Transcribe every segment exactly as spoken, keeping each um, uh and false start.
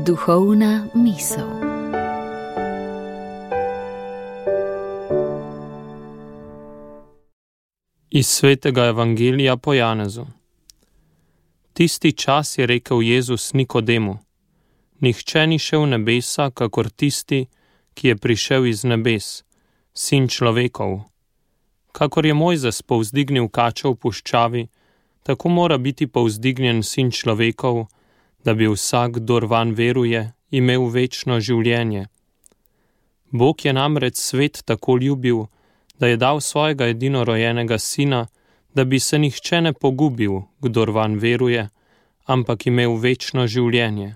Duhovna misel. Iz svetega evangelija po Janezu. Tisti čas je rekel Jezus Nikodemu: Nihče ni šel v nebesa, kakor tisti, ki je prišel iz nebes, sin človekov. Kakor je Mojzes povzdignil kačo v puščavi, tako mora biti povzdignjen sin človekov, da bi vsak, kdor vanj veruje, imel večno življenje. Bog je namreč svet tako ljubil, da je dal svojega edinorojenega sina, da bi se nihče ne pogubil, kdor vanj veruje, ampak imel večno življenje.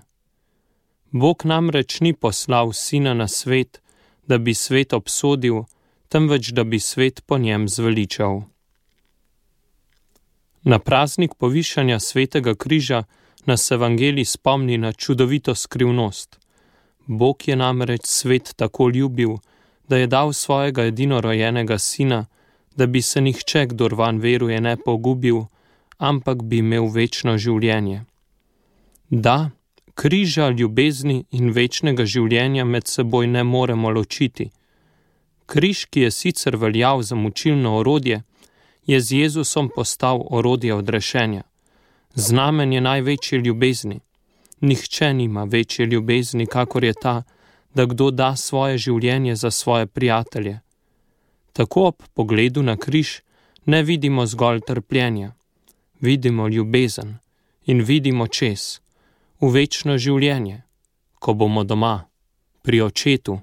Bog namreč ni poslal sina na svet, da bi svet obsodil, temveč da bi svet po njem zveličal. Na praznik povišanja svetega križa nas evangelij spomni na čudovito skrivnost. Bog je namreč svet tako ljubil, da je dal svojega edinorojenega sina, da bi se nihče, kdor vanj veruje, ne pogubil, ampak bi imel večno življenje. Da, križa, ljubezni in večnega življenja med seboj ne moremo ločiti. Križ, ki je sicer veljal za mučilno orodje, je z Jezusom postal orodje odrešenja. Znamenje največje ljubezni. Nihče nima večje ljubezni, kakor je ta, da kdo da svoje življenje za svoje prijatelje. Tako ob pogledu na križ ne vidimo zgolj trpljenja. Vidimo ljubezen in vidimo čez, v večno življenje, ko bomo doma, pri očetu.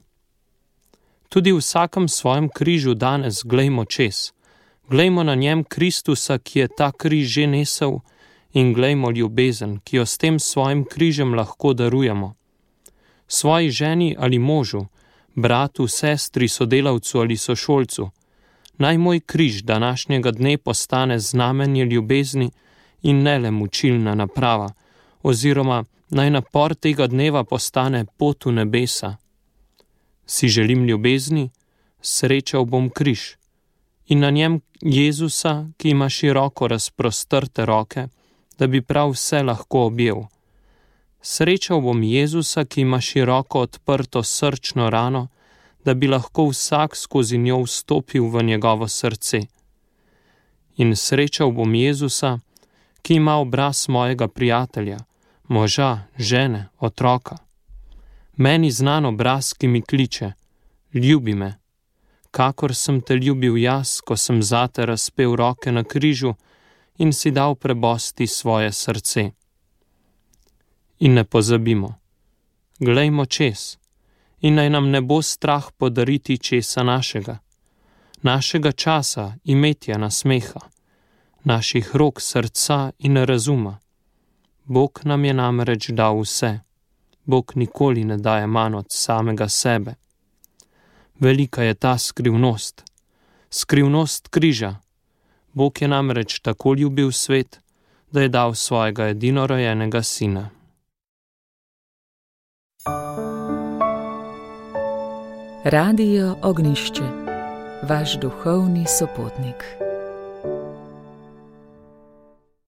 Tudi v vsakem svojem križu danes glejmo čez. Glejmo na njem Kristusa, ki je ta križ že nesel, in glejmo ljubezen, ki jo s tem svojim križem lahko darujemo. Svoji ženi ali možu, bratu, sestri, sodelavcu ali sošolcu, naj moj križ današnjega dne postane znamenje ljubezni in ne le mučilna naprava, oziroma naj napor tega dneva postane pot v nebesa. Si želim ljubezni, srečal bom križ in na njem Jezusa, ki ima široko razprostrte roke, da bi prav vse lahko objel. Srečal bom Jezusa, ki ima široko odprto srčno rano, da bi lahko vsak skozi njo vstopil v njegovo srce. In srečal bom Jezusa, ki ima obraz mojega prijatelja, moža, žene, otroka. Meni znan obraz, ki mi kliče: ljubi me, kakor sem te ljubil jaz, ko sem zate razpel roke na križu in si dal prebosti svoje srce. In ne pozabimo, glejmo čez, in naj nam ne bo strah podariti česa našega, našega časa, imetja, nasmeha, naših rok, srca in razuma. Bog nam je namreč dal vse. Bog nikoli ne daje manj od samega sebe. Velika je ta skrivnost, skrivnost križa. Bog je namreč tako ljubil svet, da je dal svojega edinorojenega sina. Radio Ognjišče, vaš duhovni sopotnik.